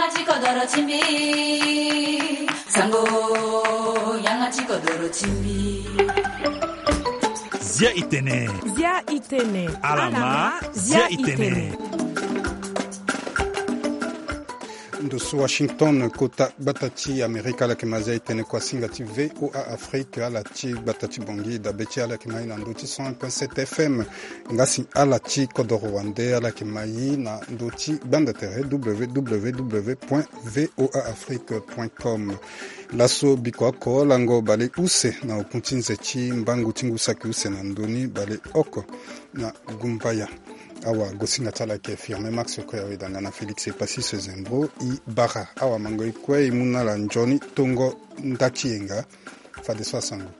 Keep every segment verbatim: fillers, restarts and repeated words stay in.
Ti kodoro ti mbi. Sango, yanga ti kodoro ti mbi. Zia itene. Zia itene. Alama, zia itene. Ndo so Washington, kota gbata ti Amerika, ala yeke ma zia itene kuasinga ti V O A Afrique, ala ti gbata ti Bangui, dabe ti ala yeke ma ye na ndö ti cent un point sept F M. Nga si ala ti kodoro wande, ala yeke ma ye na ndö ti gbanda tere, W W W point V O A Afrique point com. Laso biko oko lango baleuse na okun ti nze ti mbangu ti ngu saki use na ndö ni baleoko na gumbaya. Awa gosinga ti ala yeke Firmin Max Okoya, weda nga na Félix Epassis Zembro. E bara awa mango e kue e mu na ala nzoni tongo nda ti yenga. Fadeso asango.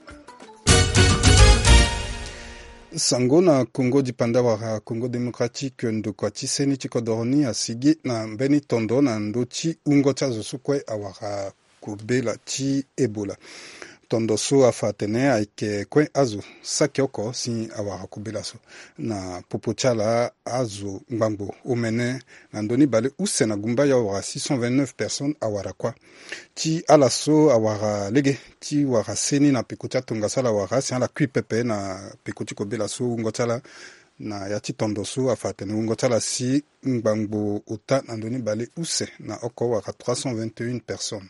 Sango na Congo dipanda wala Congo Démocratique, ndokua ti seni ti kodoro ni asigi na mbeni tondo na ndö ti wungo ti azo so kue awara kobela ti Ebola. Tondo so afa atene ayeke kue azo saki oko si awara kobela so na popo ti ala. Azo ngbangbo omene na ndö ni baleuse na gumbaya awara six cent vingt-neuf personnes awara kuâ. Ti ala so awara lege ti wara seni na peko ti atongaso ala wara si ala kui pepe na peko ti kobela so wungo ti ala. Na ya ti tondo so afa atene wungo ti ala si ngbangbo ota na ndö ni baleuse na oko wara trois cent vingt et un personnes.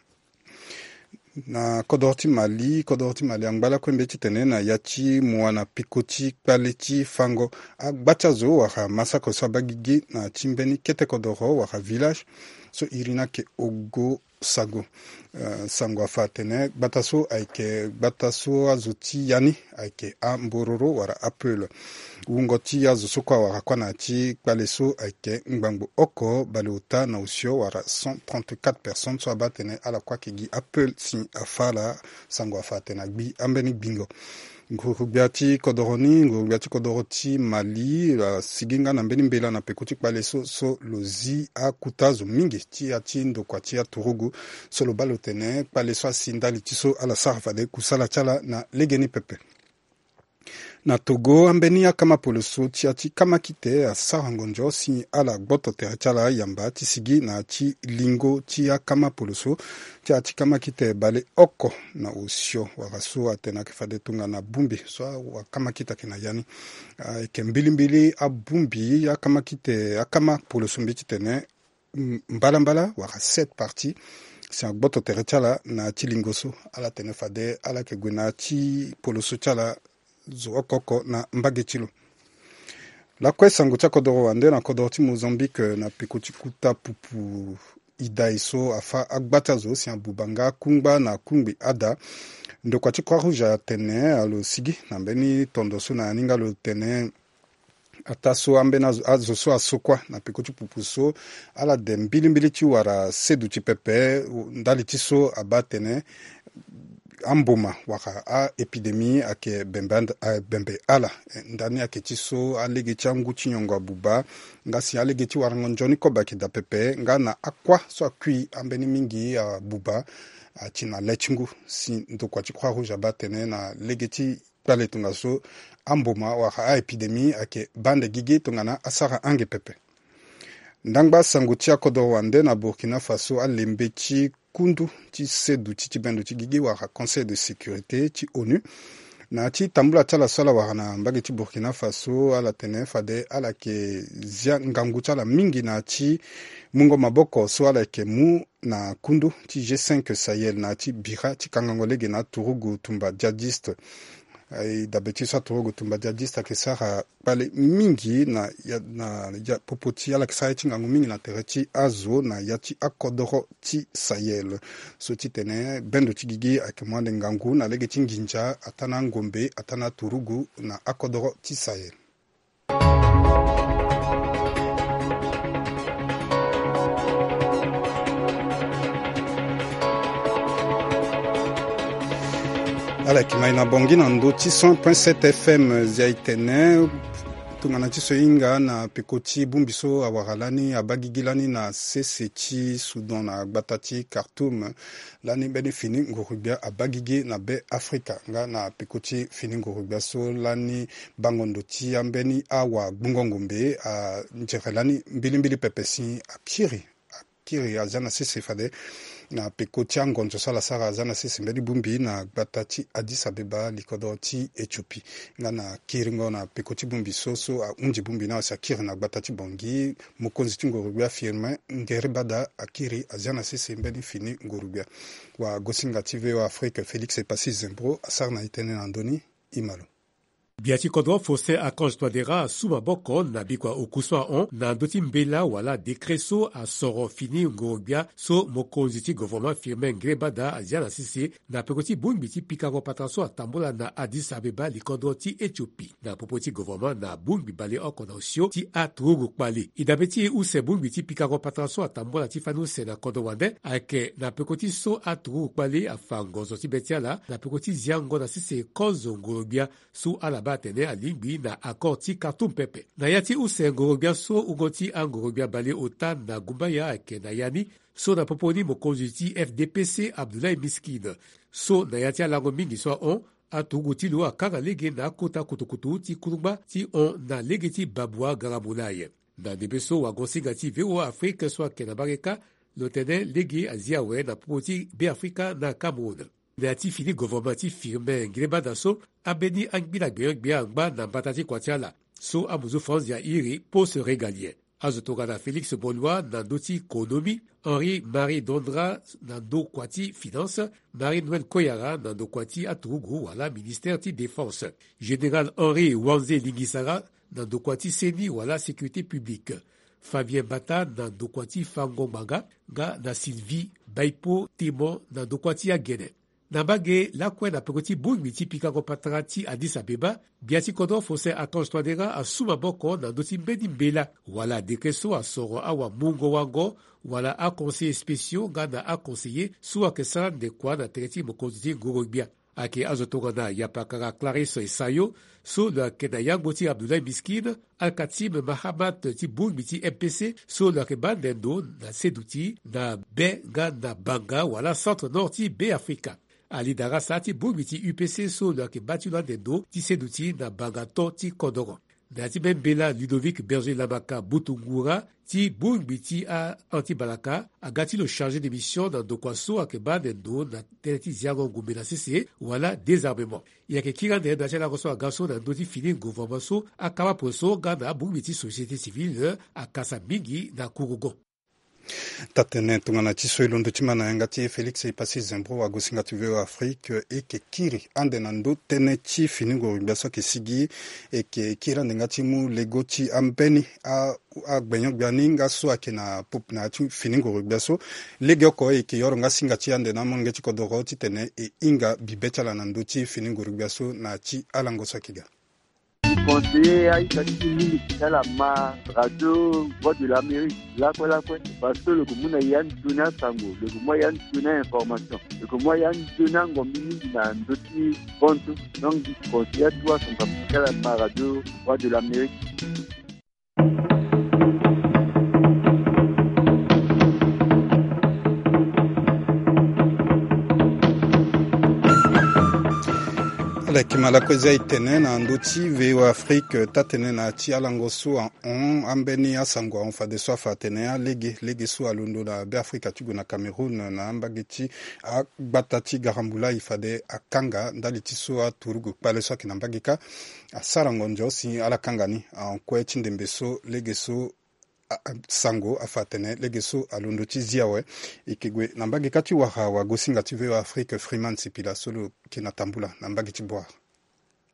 Na kodoro ti Mali, kodoro ti Mali angba lakue mbeti titene na ya ti mua na peko ti kpale ti fango, agba ti azo wala massacre so abaa gigi na ti mbeni kete kodoro wala village so iri ni ayeke Ogo Sago. Eh, sango afa atene gbata so ayeke gbata so azo ti ya ni ayeke ambororo wala apeul. Wungo ti azo so kue awara kuâ na ya ti kpale so ayeke ngbangbo oko baleota na osio wala cent trente-quatre personnes so abaa atene ala kue ayeke gi apeul si afa ala. Sango afa atene agbi ambeni gbingo. Nguru-gbia ti kodoro ni, nguru-gbia ti kodoro ti Mali, eh, asigi nga na mbeni mbela na peko ti kpale so, so lo zi akuta zo mingi ti ya ti ndokua ti aturugu. So lo baa lo tene kpale so asi ndali ti so ala sara fade kusala ti ala na legeni pepe. Na Togo, ambeni akama poloso ti ya ti kamakite asara ngonzo si ala gboto tere ti ala yamba ti sigi na ya ti lingo ti akama poloso ti ya ti kamakite baleoko na osio wala so atene ayeke fade tongana bongbi so akamakite ayeke na ya ni. Ayeke mbilimbili abongbi akamakite, akama poloso mbeti tene m-, mbalambala wala sept parties si agboto tere ti ala na ya ti lingo so. Ala tene fade ala yeke gue na ya ti poloso ti ala zo oko oko na mbage ti lo. Lakue sango ti akodoro wande na kodoro ti Mozambique, na peko ti kuta pupu idai so afa agba ti azo si abuba nga akungba na akungbi ada. Ndokua ti Croix Rouge atene alo sigi na mbeni tondo so na ya ni nga lo tene ataa so ambeni azo, azo so aso kuâ na peko ti pupu so, ala de mbilimbili ti wara seduti pepe ndali ti so abaa atene amboma wala a-épidémie ayeke bembe and-, a-, bembe ala. Eh, ndani ayeke ti so alege ti angu ti nyongo abuba, nga si alege ti warango nzoni kobe ayeke daa pepe, nga na akuâ so akui ambeni mingi abuba, ati na le ti ngu, si ndokua ti Croix Rouge abaa atene na lege ti kpale tongaso amboma wala a-épidémie ayeke baa ande gigi tongana asara ange pepe. Ndangba sango ti akodoro wande na Burkina Faso, alembe ti kundu ti seduti ti bendo ti gigi wala Conseil de sécurité ti onu, na ya ti tambula ti ala so ala wara na mbage ti Burkina Faso, ala tene fade ala yeke zia ngangu ti ala mingi na ya ti mungo maboko so ala yeke mu na kundu ti G cinq Sahel na ya ti bira ti kangango lege na aturugu tumba djihadiste. Aye, dabe ti so aturugu tumba djihadiste ayeke sara kpale mingi na ya, na ya popo ti ala yeke sara ye ti ngangu mingi na tere ti azo na ya ti akodoro ti Sahel. So titene bendo ti gigi ayeke mu ande ngangu na lege ti nginza ataa na angombe ataa na aturugu na akodoro ti Sahel. Ala yeke ma e na Bangui na ndö ti cent point sept F M. Zia e tene tongana ti so e hinga na peko ti bongbi so awara lani abaa gigi lani na sese ti Soudan na gbata ti Khartoum. Lani mbeni fini nguru-gbia abaa gigi na Be Afrika nga na peko ti fini nguru-gbia so lani bango ndo ti ambeni awa gbungo ngombe anzere lani mbilimbili pepe si akiri kiri azia na sese fade na peko ti angonzo so ala sara azia na sese mbeni bongbi na gbata ti Addis Abeba, likodro ti Éthiopie. Nga na kiringo na peko ti bongbi so, so ahunzi bongbi ni asi akiri na gbata ti Bangui, mokonzi ti ngorogbia Firmin Ngerebada akiri azia na sese mbeni fini ngorogbia. Wagosinga ti V O A Afrique Félix Epassi Zembro asara na e tënë na ndö ni. Imalo. Gbia ti kodro Faustin Archange Touadéra asu maboko na bikua oku so ahon na ndö ti mbela wala décret so asoro fini ngorogbia so mokonzi ti gouvernement Firmin Ngerebada azia na sese na peko ti bongbi ti pikango patara so atambula na Addis Abeba, likodro ti Éthiopie. Na popo ti gouvernement na bongbi baleoko na osio ti aturugu kpale. E dabe ti use bongbi ti pikango patara so atambula ti fani use na kodro wande ayeke na peko ti so aturugu kpale afa ngonzo ti be ti ala na peko ti ziango na sese kozo ngorogbia so ala baa atene alingbi na accord ti Khartoum pepe. Na ya ti use ngorogbia so, wungo ti angorogbia baleota na gumbaya ayeke na ya ni, so na popo ni mokonzi ti F D P C Abdoulaye Miskine. So na ya ti alango mingi so ahon, aturugu ti lo akanga lege na akota kutukutu ti kulungba ti hon na lege ti Babua Garamulaye. Na ndembe so wagosinga ti V O A Afrique so ayeke na mbage kâ, lo tene lege azi awe na popo ti Beafrika na Cameroun. Na ya ti fini gouvernement ti Firmin Ngerebada so, ambeni angbila gbenyo-gbia angba na mbata ti kua ti ala so amuzu France ya iri poste régalien. Azo tongana Félix Bolois na ndö ti konomi, Henri Marie Dondra na ndokua ti finance, Marie Noël Koyara na ndokua ti aturugu wala ministère ti défense, général Henri Wanze Lingisara na ndokua ti C E N I wala sécurité publique, Fabien Mbata na ndokua ti fango ngbanga, nga na Sylvie Baipo Temon na ndokua ti agene. Na mbage lakue na peko ti bongbi ti pikango patara ti Addis Abeba, gbia ti kodro Faustin Archange Touadéra asu maboko na ndö ti mbeni mbela wala décret so asoro awamungo-wango wala aconseillers spéciaux nga na aconseillers so ayeke sara ndekua na tere ti mokonzi ti ngoro-gbia. Ayeke azo tongana yapakara Clarisse Esayo so lo yeke na yango ti Abdoulaye Miskine, Al-Katim Mahamat ti bongbi ti M P C so lo yeke baa ande ndo na seduti na be nga na banga wala centre nord ti Beafrika. Ali Darassa ti bongbi ti U P C so lo yeke baa ti lo ande ndo ti seduti na banga to ti kodoro. Na ya ti mbeni mbela, Ludovic Berger Lamaka Butungura ti bongbi ti a-anti-balaka aga ti lo chargé de mission na ndokua so ayeke baa ande ndo na tënë ti ziango ngumbe na sese wala désarmement. E yeke kiri ande na ya ti alango so aga so na ndö ti fini gouvernement so akama poso nga na abongbi ti société civile akasa mingi na kurugo. Taa-tënë tongana ti so e londo ti ma na yanga ti e Félix Epassi Zembro, wagosinga ti V O A Afrique, e yeke kiri ande na ndö tënë ti fini ngoro-gbia so ayeke sigi. E yeke kiri ande nga ti mu lego ti ambeni a, agbenyo-gbia ni nga so ayeke na pop na ya ti fini ngoro-gbia so. Legeoko e yeke yoro nga singa ti e ande na amolenge ti kodoro titene e hinga bibe ti ala na ndö ti fini ngoro-gbia so na ya ti alango so ayeke ga. Conseiller aita ti mingi ti ala ma radio Voix de l'Amérique lakue lakue, parce que lo yeke mu na e ande toni asango, lo yeke mu na e ande toni a-information, lo yeke mu na e ande toni angombi mingi na ndö ti hon so. Donc, conseiller atuwa asango ti ala ma radio Voix de l'Amérique. Ala yeke ma lakue zia e tene na ndö ti V O A Afrique, taa-tënë na ya ti alango so ahon ambeni asango ahon fadeso afa atene alege lege so alondo na Beafrika ti gue na Cameroun na mbage ti agbata ti Garambula e fade akanga ndali ti so aturugu kpale so ayeke na mbage kâ asara ngonzo si ala kanga ni. Ahon kue ti ndembe so lege so a, a, sango afa atene lege so alondo ti zi awe. E yeke gue na mbage kâ ti wara wagosinga ti V O A Afrique Freeman Sipila so lo yeke na tambula na mbage ti Bouar.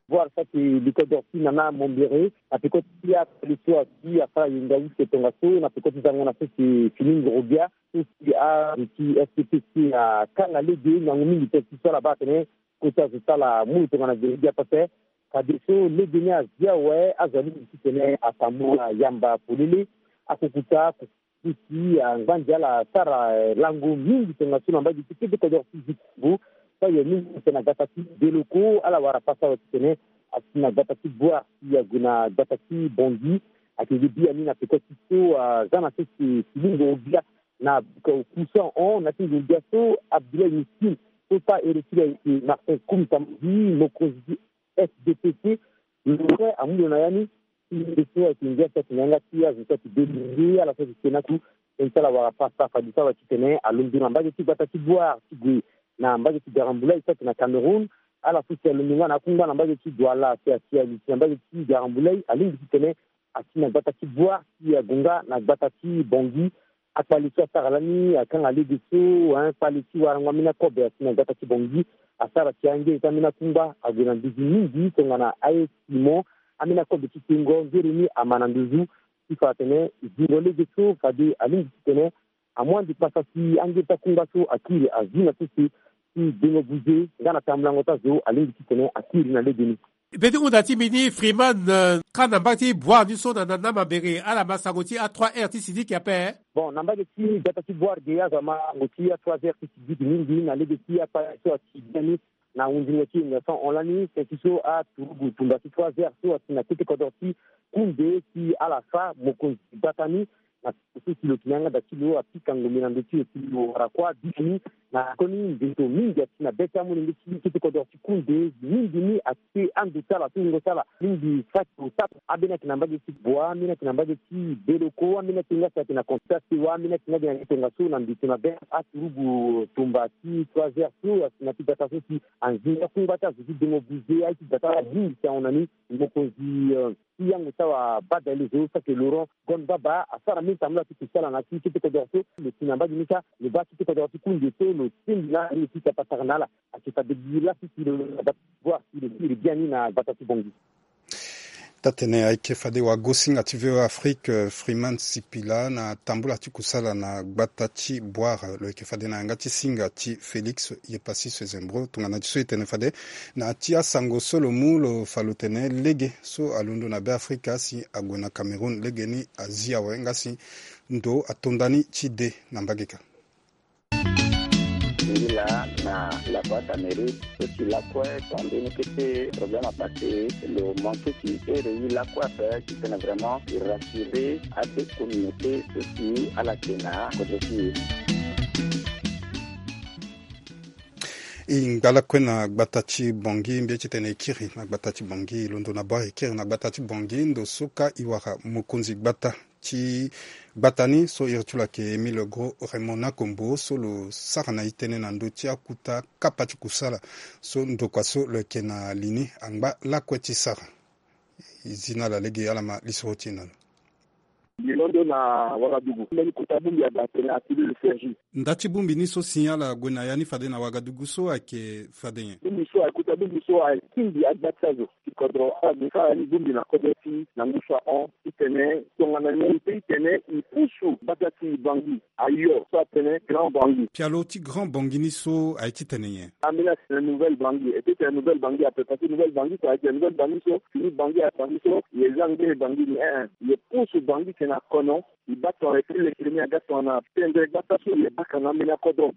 Bouar so ayeke likodro ti Nana Mombere na peko ti akpale so asi asara yenga use tongaso na peko ti zango na sese fini ngoro-gbia so si azo ti S P P C akanga lege ngangu mingi tënë ti so ala baa atene kota zo ti ala mu lo tongana gere-gbia pepe. Fadeso lege ni azi awe, azo alingbi titene atambula yamba polele. Akokota akokota ti angbanzi ala asara, eh, lango mingi tongaso na mbage ti kete kodoro ti Zikongo. So aye mingi titene na gbata ti Deloko, ala wara pasa awe titene asi na gbata ti Bouar si ague na gbata ti Bangui. Ayeke ge biani na peko ti so aza na sese fini ngoro-gbia na bika oku so ahon na ya ti ngoro-gbia so Abdoulaye Miskine so taa ere ti lo ayeke Martin Koum Sambi, mokonzi ti S D P C. Lo kue amu lo na ya ni. Ti lo so ayeke ngia so ayeke na yanga ti azo so ayeke delivre ala so ayeke ke na ku. Tongana ti ala wara pasa fade so awa titene alondo na mbage ti gbata ti Bouar ti gue na mbage ti Garambulay so ayeke na Cameroun. Ala so si alondo nga na akungba na mbage ti Douala si asi ali si na mbage ti Garambulay alingbi titene asi na gbata ti Bouar si ague nga na gbata ti Bangui. Akpale so asara lani akanga lege so, hein, kpale ti warango ambeni akobe asi na gbata ti Bangui. Asara si angere ti ambeni akungba ague na nduzu mingi tongana aye Simon. Ambeni akobe ti tengo ngere ni ama na nduzu. Ti fa atene zingo lege so fade alingbi titene amu ande pasa si angere ti akungba so akiri azi na sese ti dengo buze nga na tambulango ti azo alingbi titene akiri na lege ni. Be ti hunda ti mbi ni Freeman, eh, ka na mbage ti Bouar ni so na na na mabere ala ma sango ti a trois heures ti sidiki ape. Bon, na mbage ti gbata ti Bouar ge azo ama sango ti a trois heures ti sidiki mingi na lege ti akpale so asi biani. Na hunzingo ti émission hon lani seki so aturugu tumba ti trois heures so asi na kete kodro ti Koundé si ala fa mokonzi gbata ni. Na so si lo yeke ni yanga da ti lo apika ngombe na ndo ti lo si lo wara kuâ biani. Na koni mbeto mingi asi na be ti amolenge ti kete kodro ti Koundé mingi ni ake ando ti ala so wungo ti ala mingi saki ota. Ambeni ayeke na mbage ti Bouar, ambeni ayeke na mbage ti Beloko, ambeni ayeke nga si ayeke na konti ti asewa, ambeni ayeke nga gi na tongaso na mbeto na be aturugu tumba ti trois heures so asi na ti gbata so si anzinga kungba ti azo ti dengo buze aye ti gbata ala mingi si ahon na ni. Mokonzi, eh, ti yango ti awa badale zo saki Laurent Gon Baba asara mingi tambula ti kusala na ti kete kodro so. Lo si na mbage ni kâ lo baa kete kodro ti Koundé so lo singbi na lo ti tapa sara na ala. Ayeke fade gi lasi si lo na gbata ti Bouar si lo siri biani na gbata ti Bangui. Taa-tene ayeke fade wagosinga ti V O A Afrique, eh, Freeman Sipila na tambula ti kusala na gbata ti Bouar, eh, lo yeke fade na yanga ti singa ti Félix Yepassis Zembro. Tongana ti so e tene fade na ya ti asango so lo mu lo fa lo tene lege so alondo na Beafrika si ague na Cameroun lege ni azi awe nga si ndo ato ndani ti de na mbage ka. Ngi laa na lakue ti Amérique so ti lakue tonga mbeni kete problème apase lo manke ti ere ye lakue ape titene vraiment e rassurer ade communauté so si ala yeke na kodro ti e. E ngba lakue na gbata ti Bangui mbi ye titene e kiri na gbata ti Bangui, e londo na Bouar e kiri na gbata ti Bangui ndo so kâ e wara mokonzi gbata ti gbata ni so iri ti lo ayeke Émile Gros Raymond Nakombo so lo sara na e tënë na ndö ti akuta kapa ti kusala so ndokua so lo yeke na li ni angba lakue ti sara. E zi na ala lege ala ma lisoro ti e na lo. Mbi londo na Ouagadougou. Mbeni kota bongbi ada atene Atelier de Sergi. Nda ti bongbi ni so si ala gue na ya ni fade na Ouagadougou so ayeke fade nyen? Bongbi so ayeke kota bongbi so atingbi agba ti azo ti kodro. Ala gue sara ni bongbi na kodro ti na ngu so ahon titene tongana nyen e peut titene e pusu gbata ti Bangui ayo so atene Grand Bangui. Pialo ti Grand Bangui ni so aye titene nyen? Ambeni atene Nouvelle Bangui. E peut tene Nouvelle Bangui ape parce que Nouvelle Bangui so ayeke Nouvelle Bangui so fini Bangui aye Bangui so e za ngbene Bangui ni, eh, eh. E pusu Bangui tene akono. E baa tongana e peut lekere ni aga tongana tendre gbata so e baka na ambeni akodro.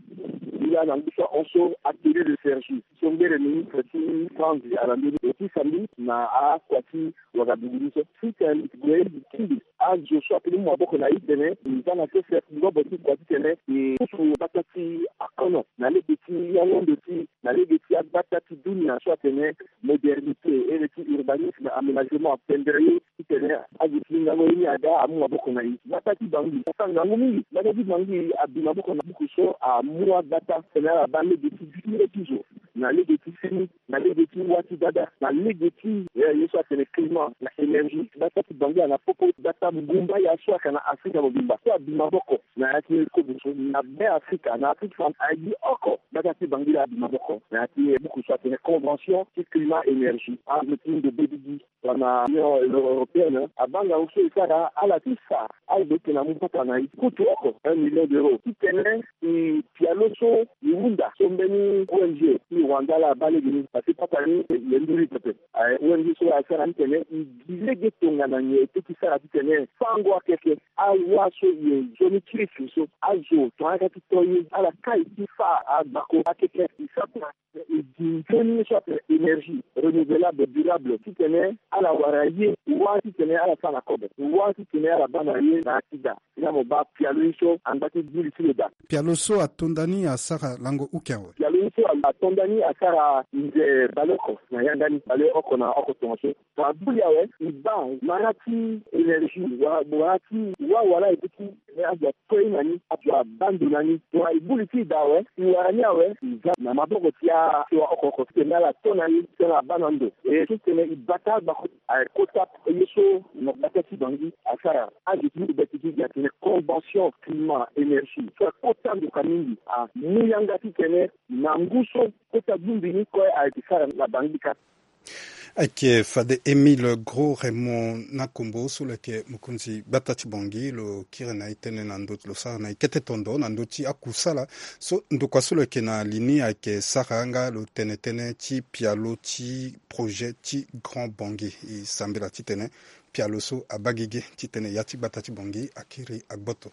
Nilaa na ngu so ahon so Atelier de Sergi so ngbere ni ministre ti Franzi ala mbeni e ti sambi na akua ti Ouagadougou ni so. Sitene gue e kiri azo so ape ni mu maboko na e titene e za na sese ngobo ti kua titene e pusu gbata ti akono na lege ti yango ndo ti na lege ti agbata ti dunia so atene modernité, ere ti urbanisme, aménagement, atendre ye titene azo ti ngango ye ni aga amu maboko na e. Gbata ti Bangui asa ngangu mingi. Gbata ti Bangui abi maboko na buku so amu agbata titene ala baa lege ti vire ti zo na lege ti seni na lege ti wâ ti dada na lege ti, eh, ye so atene climat na énergie. Gbata ti Bangui ana popo gbata ngbumba ya so ayeke na Afrika mobimba so abi maboko na ya ti kozo so na Beafrika na Afrique centrale aye gi oko. Gbata ti Bangui laa abi maboko na ya ti buku so atene convention ti climat énergie. Azo ti ndo be gigi tongana Union Européenne abaa ngangu so e sara ala ti fa azo ti tene amu papa na e kutu oko un million d'euros titene e pialo so e hunda so mbeni O N G ti Rwanda laa abaa lege ni parce que papa ni e nduri pepe. Aye O N G so asara ni tene e gi lege tongana nyen e peut ti sara titene fango akeke awâ so e zo ni ti riche so azo tongana ayeke ti to ye ala kai ti fâ agbako akeke e sara e gi nzoni ye so atene énergie renouvelable durable titene ala wara ye wâ titene ala sara na kobe wâ titene ala baa na ye na akida. Na mo baa pialo ye so angba ti buli ti lo daa. Pialo so atonda ni asara lango uke awe. Pialo ye so atonda ni asara nze baleoko na yanga ni, baleoko na oko tongaso. Tongana buli awe, e baa wara ti énergie wala wara ti wawala e biki. Azo ato ye na ni, azo abaa ndo na ni. Tongana e buli ti e daa awe, e wara ni awe, e za na maboko ti asewa oko oko titene ala to na ye titene abaa na ndo. E so titene e bata gbako aye kota ye so na gbata ti Bangui asara. Azo ti ni e baa ti gi gi atene convention climat énergie so akota ndoka mingi, amu yanga titene na ngu so kota bongbi ni kue ayeke sara na Bangui kâ. Ayeke fade Émile Gros Raymond Nakombo so lo yeke mokonzi gbata ti Bangui lo kiri na e tënë na ndö ti lo sara na e kete tondo na ndö ti akusala so ndokua so lo yeke na li ni ayeke sara nga lo tene tënë ti pialo ti projet ti Grand Bangui. E sambela titene pialo so abaa gigi titene ya ti gbata ti Bangui akiri agboto.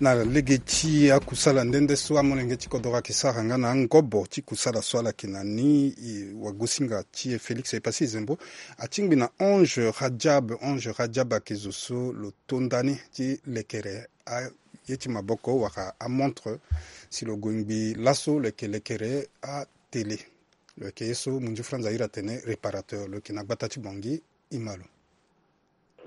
Na lege ti akusala nde nde so amolenge ti kodoro ayeke sara nga na angobo ti kusala so ala yeke na ni, e, wagosinga ti e Félix Epassi Zembo atingbi na Ange Radjab. Ange Radjab ayeke zo so lo to nda ni ti lekere aye ti maboko wala amontre si lo gue ngbii laso lo yeke lekere atélé. Lo yeke ye so munzu Franz ahiri atene réparateur, lo yeke na gbata ti Bangui. Ima lo.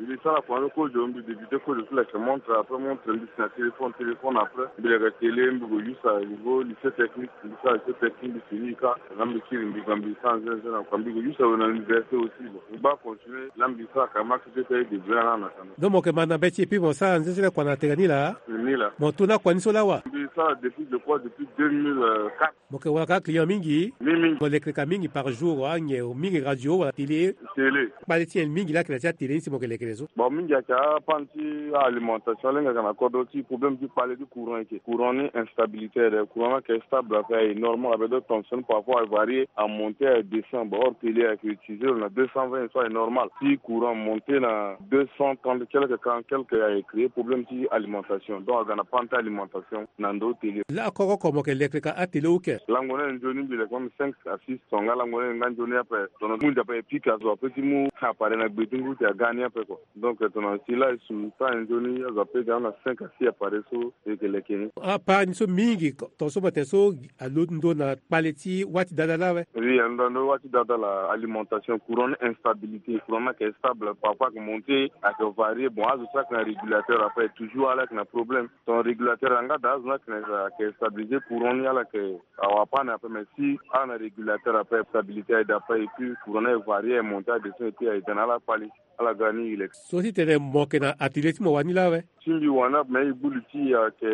Mbi sara kua ni kozo, mbi débuté kozo ti leke montre, après montre mbi si na téléphone, téléphone après mbi leke télé, mbi gue use à niveau lycée technique, mbi sara lycée technique, mbi fini kâ. Nga mbi kiri mbi ga mbi sara nzenze na kua, mbi gue use awe na université aussi. Bon, mbi baa continuer, la mbi sara ka marché ti ete aye débrouiller na na kana. Donc mo yeke ma na be ti e puis mo sara nzenze na kua na tere ni laa? Ni laa. Mo to na kua ni so laa wa? Mbi sara depuis, je crois, depuis deux mille quatre. Mo yeke wara kâ client mingi? Mingi mingi. Mo lekere ka mingi par jour, anyen mingi radio wala télé? Télé. Kpale ti nyen mingi laa ayeke na ti atélé ni si mo yeke lekere so? Bon, mingi ayeke apane ti alimentation, lenge ayeke na kodro ti problème ti kpale ti courant eke. Courant ni instabilité aye, courant ni ayeke stable ape, aye normal ape, donc tension parfois aye varier, amonte, aye descend. Bon, or télé ayeke utiliser lo na deux cent vingt so aye normal. Si courant monte na deux cent trente quelque, quarante quelque, aye créer problème ti alimentation, donc aga na panne ti alimentation na ndo télé. Laa koko oko mo yeke lekere ka atélé ou ke? Lango ni aye nzoni mbi leke même cinq à six tonga, lango ni aye nga nzoni ape. Tongana mu ndia ape e pique azo ape ti mu appareil na gbe ti ngu ti aga ni ape kua. Donc tongana si laa e su temps aye nzoni azo ape ga na cinq à six appareil so e yeke leke ni. Apart ni so mingi tonga so mo tene so alo ndo na kpale ti wâ ti dada laa awe? Oui, alo ndo na ndo wâ ti dada laa, alimentation, courant ni instabilité, courant ni ayeke stable, parfois ayeke monte, ayeke varier. Bon, azo so ayeke na régulateur ape toujours ala yeke na problème. Ton régulateur anga daa azo ni ayeke na, ayeke stabiliser courant ni, ala yeke awa panne ape, mais si ala na régulateur ape, stabilité aye daa ape, et puis courant ni aye varier, aye monte, aye descend, et puis aye daa na ala kpale. Ala ga ni e leke. So ti tene mo yeke na atelier ti mo wani laa awe? Ti mbi wani ape, mais e gbu li ti e ayeke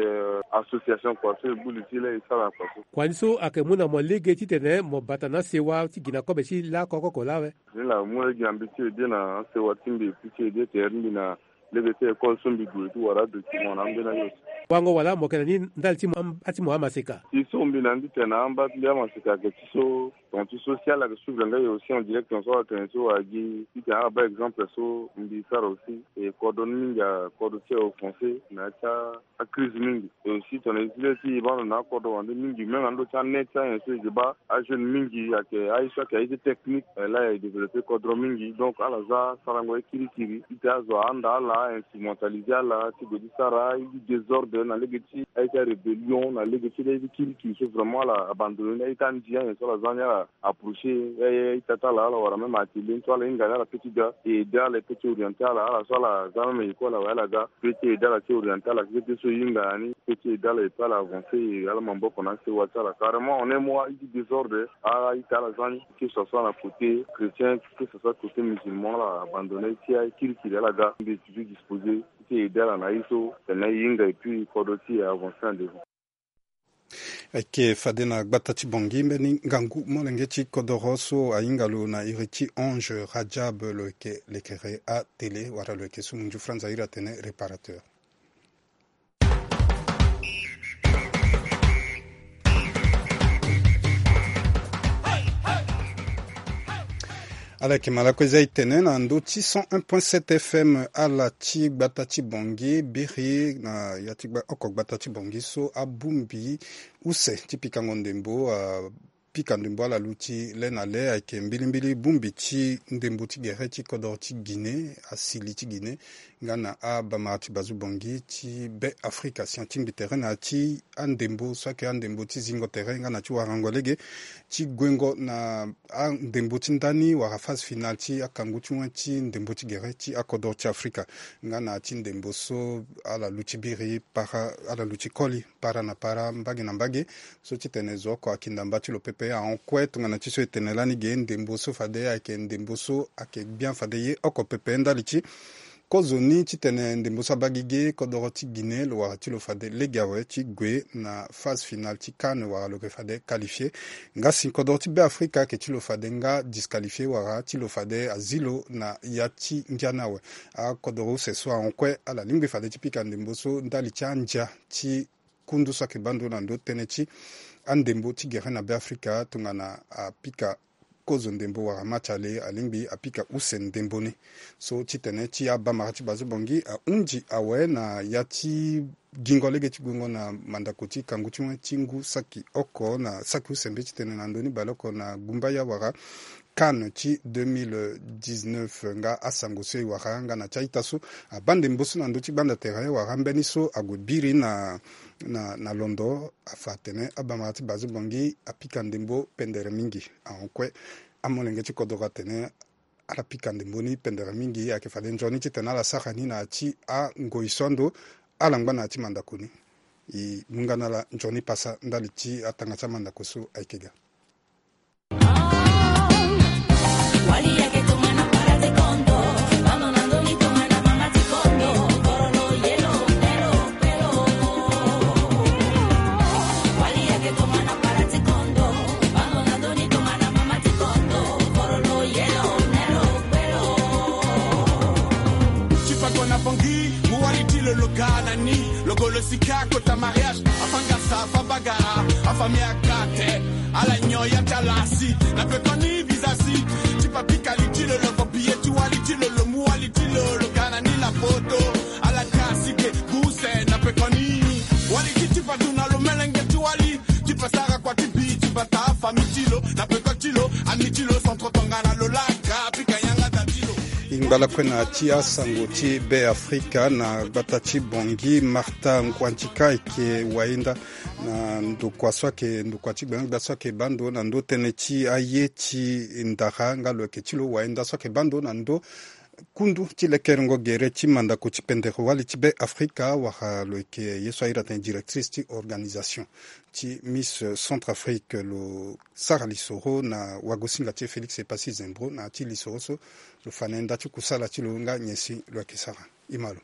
association kua so e gbu li ti e laa e sara kua so. Kua ni so ayeke mu na mo lege ti tene mo bata na asewa ti gi na kobe ti laa koko oko laa awe? Ni laa mu lege na mbi ti e de na asewa ti mbi, e pu ti e de tere ti mbi na lege ti école so mbi gue ti wara adocument na ambeni aye so. Wango wala mo yeke na ni ndali ti mo am-, ati mo amaseka? Ti so mbi na ni ti tene na amba ti mbi amaseka ayeke ti so, ton ti so si ala yeke suivre nga e aussi en direct, ton so ala tene so wala gi ti tene ala baa exemple so mbi sara aussi. E kodro ni mingi akodro ti e offensé na ya ti acrise mingi. E aussi tongana e zi le ti e baa ndo na akodro wande mingi, même na ndo ti anet ti anyen so e yeke baa ajeune mingi ayeke aye so ayeke aye ti technique, eh, laa e développé kodro mingi. Donc ala za sarango aye kirikiri ti tene azo ahanda ala, instrumentalisé ala ti gue ti sara aye ti désordre na lege ti aye ti arébellion, na lege ti aye ti kirikiri so vraiment ala abandonné ni, aye ti andi anyen so ala za ni ala approché, eh, eh, ita ti ala, ala wara même atelier ni so ala hinga ni ala peut ti ga e aidé ala, e peut ti orienté ala, ala so ala za même école awe ala ga, peut ti aidé ala ti orienté ala, peut ti so e hinga na ni, peut ti aidé ala, e peut ala avancé, e ala maboko na asewa ti ala. Carrément, en un mois, aye ti désordre, aita ala za ni, que ce soit na côté chrétien, que ce soit côté musulman, ala abandonné, ti aye kirikiri ala ga, mbi toujours disposé ti aidé ala na aye so, tene e hinga, et puis kodro ti e avancé en devant. Ayeke fade na gbata ti Bangui mbeni ngangu molenge ti kodoro so ahinga lo na iri ti Ange Radjab, lo yeke lekere atélé wala lo yeke so munzu Franz ahiri atene réparateur. Ala yeke ma lakue za e tene na ndö ti cent un point sept F M, ala ti gbata ti Bangui biri na ya ti gba-, oko gbata ti Bangui so abongbi use ti pikango ndembo, ah, Pika ndembo ala luti le na le ayeke mbilimbili bongbi ti ndembo ti gere ti kodoro ti Guinée, asili ti Guinée, nga na abamara ti bazu bongi ti be Afrika si atingbi tere na ya ti andembo so ayeke andembo ti zingo tere nga na ti warango lege ti guengo na andembo ti ndani wala phase finale ti akangu ti wen ti ndembo ti gere ti akodoro ti Afrika. Nga na ya ti ndembo so ala luti biri para, ala luti koli para na para, mbage na mbage. So titene zo oko akinda mba ti lo pepe ahon kue tongana ti so e tene lani ge ndembo so fade ayeke ndembo so ayeke bien fade ye oko pepe ndali ti kozo ni titene ndembo so abaa gi ge kodoro ti Guinée lo wara ti lo fade lege awe ti gue na phase finale ti CAN wala lo yeke fade qualifié. Nga si kodoro ti be Afrika ayeke ti lo fade nga disqualifié wala ti lo fade azi lo na ya ti ngia ni awe. Akodoro use so ahon kue ala lingbi fade ti pika ndembo so ndali ti andia ti kundu so ayeke baa ndo na ndo tënë ti andembo ti gere na be Afrika tongana apika kozo ndembo wala match ale alingbi apika use ndembo ni. So titene ti abamara ti bazo bongi ahunzi awe na ya ti gingo lege ti guengo na mandako ti kangu ti wen ti ngu saki oko na saki use mbe titene na ndö ni baleoko na gumbaya wala CAN ti deux mille dix-neuf nga asango so e wara nga na ti a-ita so abaa ndembo so na ndö ti gbanda tere wala mbeni so ague biri na, na, na londo afa atene abamara ti bazo bongi apika ndembo pendere mingi. Ahon kue amolenge ti kodoro atene ala pika ndembo ni pendere mingi ayeke fade nzoni titene ala sara ni na ya ti angoi so ando ala ngba na ya ti mandako ni. E mu nga na ala nzoni pasa ndali ti atanga ti amandako so ayeke ga. Ti fa kona bongi mu wali ti lo lo ga na ni lo golo sika kota mariage afangasa afabagara afamia kate ala nyon ya ti ala si na pekoni visa si ti fa pika li ti lo lo fo biye ti wali ti lo lo mu wali ti lo lo ga na ni la foto ala kasi ke guse na pekoni wali ti ti fa duna lo melenge ti wali ti fa sara kua ti bi ti fa ta fami ti lo na peko ti lo ami ti lo centre tongana lo laka pika yanga da ti lo. E ngba lakue na ti asango ti be Afrika na gbata ti Bangui, Martha Nguandika ayeke wayenda na ndokua so ayeke ndokua ti gbengbe so ayeke baa ndo na ndo tënë ti aye ti ndara nga lo yeke ti lo wayenda so ayeke baa ndo na ndo kundu ti lekerengo gere ti mandako ti pendere wali ti be Afrika wala lo yeke ye so ahiri atene directrice ti organisation ti Miss Centrafrique lo sara lisoro na wagosinga ti e Félix Epassi Zembro na ya ti lisoro so lo fa na e nda ti kusala ti lo nga nyen si lo yeke sara. E ma lo.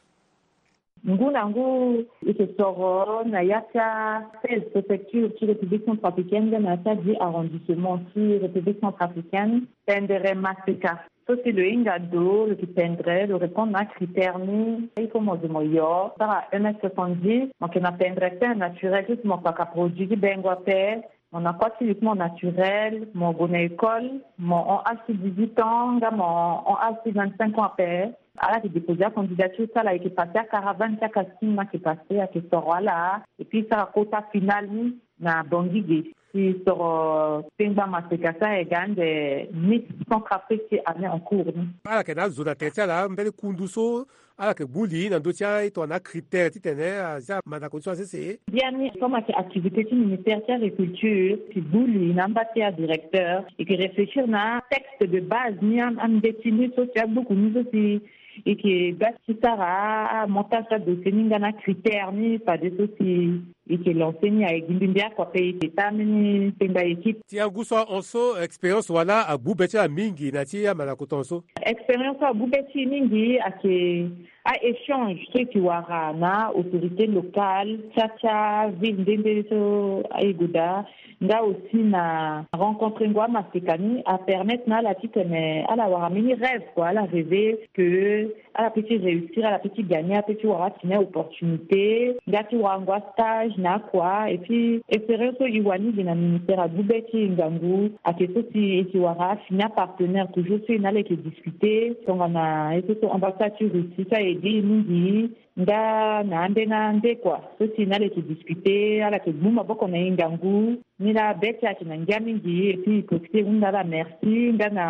Ngu na ngu e yeke soro na ya ti a seize préfecture ti République centrafricaine nga na ya ti a dix arrondissement ti République centrafricaine pendere maseka. So si lo hinga ndo lo yeke pendere lo répondre na acritère ni. Il faut mo zo mo yo sara un mètre soixante-dix, mo yeke na pendere teint naturel so si mo kpaka produit ti bengo ape. Mo na kua ti lo ti mo naturel, mo gue na école, mo hon âge ti dix-huit ans nga mo hon âge ti vingt-cinq ans ape. Ala yeke déposer acandidature ti ala, e yeke passer acaravane ti acasting ni ayeke passer, ayeke soro ala. Et puis e sara quota final ni na Bangui ge. Si soro tengba maseka so ayeke ga ande Miss Centrafrique ti année en cours ni. Ala yeke na azo na tere ti ala mbeni kundu so ala yeke gbu li na ndö ti a-, e tongana acritère titene azia mandako ni so asese. Biani comme ayeke activité ti ministère ti agriculture, e gbu li na amba ti adirecteur, e yeke réfléchir na texte de base ni, am-, ambeti ni so si agbuku ni so si e yeke ga ti sara amontage ti adossier ni nga na acritère ni fade so si e yeke lancer ni. Ayeke gi mbi mbi oko ape, e yeke sara mbeni tengba équipe. Ti angu so ahon so expérience wala agbu be ti ala mingi na ya ti amandako ton so? Expérience so agbu be ti e mingi ayeke a-échange so e yeke wara na autorité locale ti a, ti aville nde nde so e gue daa, nga aussi na rencontrengo amaseka ni apermettre na ala titene ala wara mbeni rêve kua, ala rêver que ala peut ti réussir, ala peut ti gagner, ala peut ti wara atene opportunité nga ti warango astage na akua. Et puis expérience so e wani gi na ministère agbu be ti e ngangu ayeke so si e yeke wara afini apartenaire toujours so e na ala e yeke discuter tongana e so so ambassade ti Russie so aye Gi mingi nga na ande na ande kua so ti na ala yeke discuter, ala yeke gbu maboko na e ngangu. Ni laa be ti ayeke na ngia mingi, e ti profiter e hunda ala merci nga na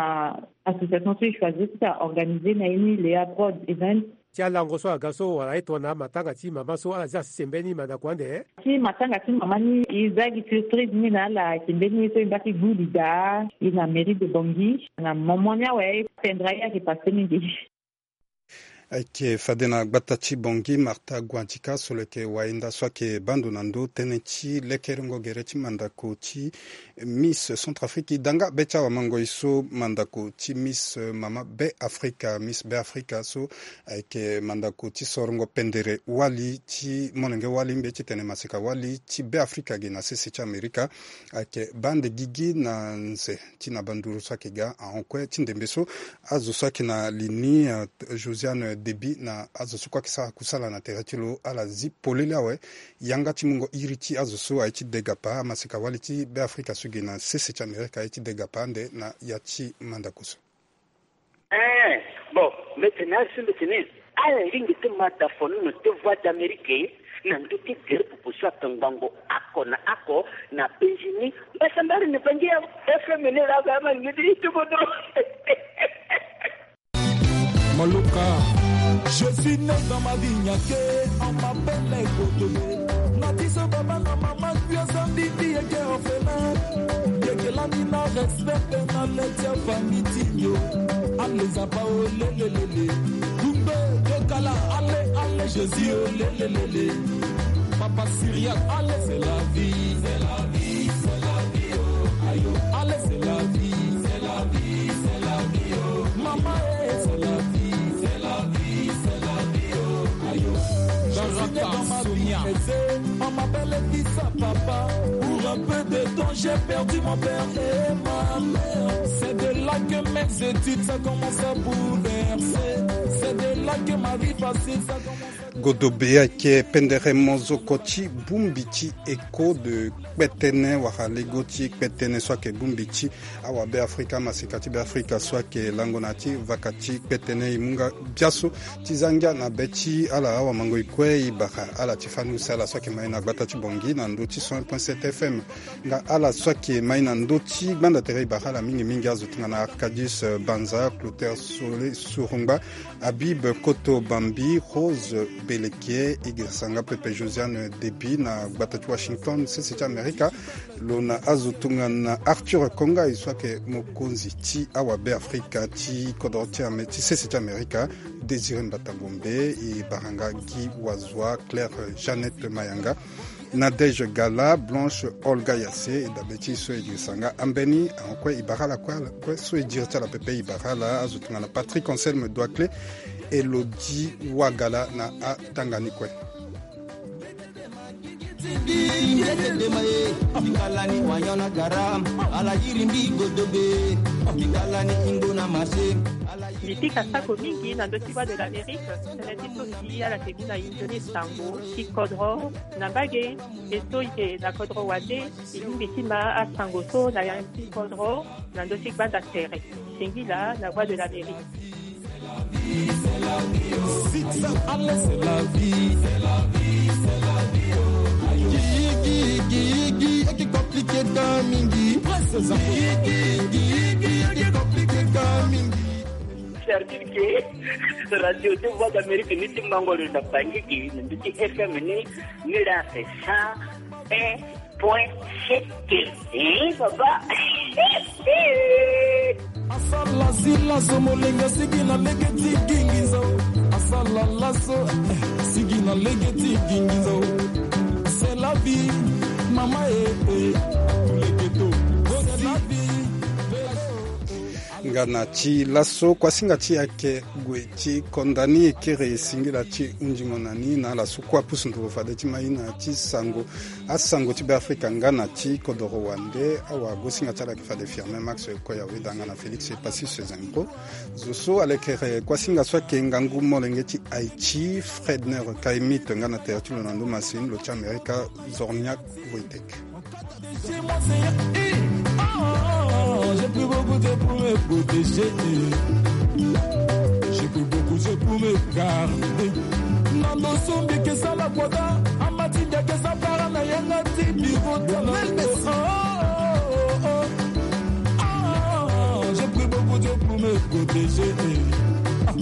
association so e choisir ti ta organiser na e ni, Lea Broad Event. Ti alango so aga so wala e tongana matanga ti mama so ala zia sese mbeni mandako ande. Ti matanga ti mama ni, e za gi surprise ni na ala, ayeke mbeni ye so e mbaki gbu li daa, e na mairie de Bangui na momo ni awe. Pendere aye ayeke passe mingi. Ayeke fade na gbata ti Bangui, Martha Guantika so lo yeke wainda so ayeke baa ndo na ndo tënë ti lekerengo gere ti mandako ti Miss Centrafrique. E da nga be ti awamangoi so mandako ti Miss, eh, mama Be Afrika, Miss Be Afrika so ayeke mandako ti sorongo pendere wali ti molenge wali, mbi ye ti tene maseka wali ti Be Afrika ge na sese ti Amerika. Ayeke baa ande gigi na nze ti na banduru so ayeke ga ahon kue ti ndembe so. Azo so ayeke na li ni, eh, Josiane Deby na azo so kue ayeke sara kusala na tere ti lo, ala zi polele awe yanga ti mungo iri ti azo so aye ti degapa, amaseka wali ti Be Afrika so gi na sese ti Amerika aye ti degapa ande na ya ti mandako so. Eh, bon, mbi tene azo so mbi tene ala lingbi ti ma da fonono ti Voix d'Amérique na ndö ti gere popo so ayeke ngbongo oko na oko na penzi ni. Mbasambara ni Bangui FM ni laa, ama ngedi ti kodro. Maloka. Je suis né dans ma vie, nyake, on m'appelle Kotobe. Na ti so baba na mama, puis aza ndindi yeke orphelin. Yeke lani na respect na le ti famille ti yo. Allez, zapa, oh, le, le, le, le. Dumbe, Dokala, allez, allez, Jésus, oh, le, le, le, le. Papa Syriac, allez, c'est la vie. C'est la vie, c'est la vie, oh, ayo. Allez, c'est la vie. C'est la vie, c'est la vie, oh. Maman, eh, c'est la vie. C'est la vie, c'est la vie, oh, ayo. Je suis né dans ma vie aisée, on m'appelle fils à papa. Pour un peu de temps, j'ai perdu mon père et ma mère. C'est de là que mes études, ça commence à bouleverser. C'est de là que ma vie facile, ça commence à Godobe ayeke pendere mozoko ti bongbi ti Echo de kpetene wala lego ti kpetene so ayeke bongbi ti awabe Afrika, amaseka ti Be Afrika so ayeke lango na ya ti vaka ti kpetene. E mu nga biaso ti za ngia na be ti ala awamangoi kue. E bara ala ti fani use ala so ayeke mai na gbata ti Bangui na ndö ti cent un point sept FM. Nga ala so ayeke mai na ndö ti gbanda tere, e bara ala mingimingi. Azo tongana Arcadius, eh, Banza, Clotaire Sole Surungba, Habib Koto Bambi, Rose Belekie, e girisa nga pepe Josiane Deby na gbata ti Washington, sese ti Amerika. Lo na azo tongana Arthur Konga, e so ayeke mokonzi ti awabe Afrika ti kodro ti ame, ti sese ti Amerika, Désiré Mbata Bombe, e bara nga Guy Wazua, Claire Jeannette Mayanga, Nadège Gala, Blanche Olga Yassé, e dabe ti e so e girisa nga ambeni. Ahon kue e bara ala kue, ala kue so e diri ti ala pepe, e bara ala. Azo tongana Patrick Anselme Doiclé, Elodie Wagala na atanga ni kue. Mbi pika sako mingi na ndö ti Voix de l'Amérique, tënë ti so si ala yeke mu na e nzoni sango ti kodro na mbage. E so e yeke na kodro wande, e lingbi ti ma asango so na ya ti kodro na ndö ti gbanda tere. Singila na Voix de l'Amérique. Six, allez, c'est la vie. Guigui, Guigui, Guigui, eke compliqué ka mingi. Guigui, Guigui, eke compliqué ka mingi. C'est-à-dire que radio de Voix d'Amérique ni ti mango lo na Bangui, na ndö ti F M ni, ni la c'est cent un point sept. Eh, papa. Asala sila so molenge sigi na lege ti gingi nzau. Asala laso, eh, sigi na lege ti gingi nzau. C'est la vie, mama, eh, eh. Tous les ghettos. C'est la vie. Nga na ti laso kuasinga ti ayeke gue ti konda ni e kiri singila ti hunzingo na ni na ala so kue apusu nduru fade ti ma e na ti sango, asango ti Beafrika nga na ti kodoro wande. Awagosinga ti ala ayeke fade Firmin Max Koya Weda nga na Félix Passy Sezengro. Zo so alekere kuasinga so ayeke ngangu molenge ti Haïti, Fredner Kaimit nga na tere ti lo na ndo masini, lo ti Amerika, Zorniak Wojtek. J'ai pris beaucoup de pour me protéger. J'ai pris beaucoup de pour Pour me garder. Nando sombi ke sala kwata, amati dia ke sa para na yanga ti biro tala. Ah, j'ai pris beaucoup de Dieu pour me protéger. Ah,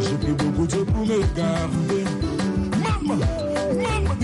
j'ai pris beaucoup de Dieu pour me garder. Maman, maman,